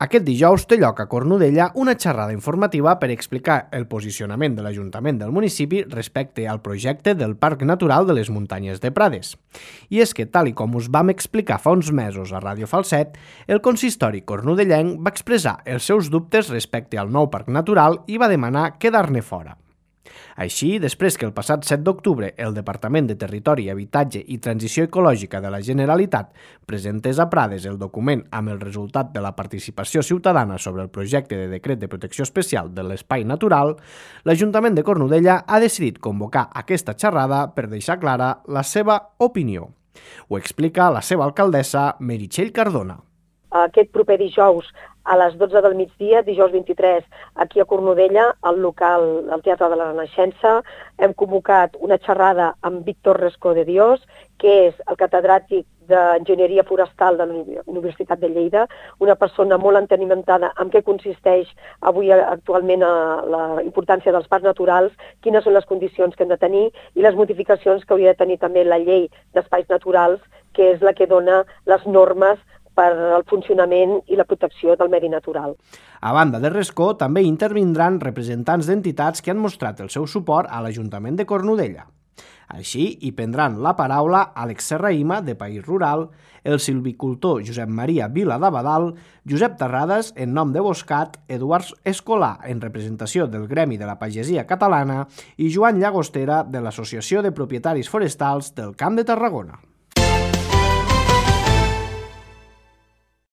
Aquest dijous té lloc a Cornudella una xerrada informativa per explicar el posicionament de l'Ajuntament del municipi respecte al projecte del Parc Natural de les Muntanyes de Prades. I és que, tal i com us vam explicar fa uns mesos a Ràdio Falset, el consistori cornudellenc va expressar els seus dubtes respecte al nou Parc Natural i va demanar quedar-ne fora. Així, després que el passat 7 d'octubre el Departament de Territori, Habitatge i Transició Ecològica de la Generalitat presentés a Prades el document amb el resultat de la participació ciutadana sobre el projecte de decret de protecció especial de l'espai natural, l'Ajuntament de Cornudella ha decidit convocar aquesta xerrada per deixar clara la seva opinió. Ho explica la seva alcaldessa, Meritxell Cardona. Aquest proper dijous a les 12 del migdia, dijous 23, aquí a Cornudella, al local del Teatre de la Renaixença, hem convocat una xerrada amb Víctor Rescó de Dios, que és el catedràtic d'Enginyeria Forestal de la Universitat de Lleida, una persona molt entenimentada en què consisteix avui actualment la importància dels parcs naturals, quines són les condicions que hem de tenir i les modificacions que hauria de tenir també la llei d'espais naturals, que és la que dona les normes per al funcionament i la protecció del medi natural. A banda de Rescó, també intervindran representants d'entitats que han mostrat el seu suport a l'Ajuntament de Cornudella. Així, hi prendran la paraula Àlex Serraïma, de País Rural, el silvicultor Josep Maria Vila d'Abadal, Josep Terrades, en nom de Boscat, Eduard Escolà, en representació del Gremi de la Pagesia Catalana, i Joan Llagostera, de l'Associació de Propietaris Forestals del Camp de Tarragona.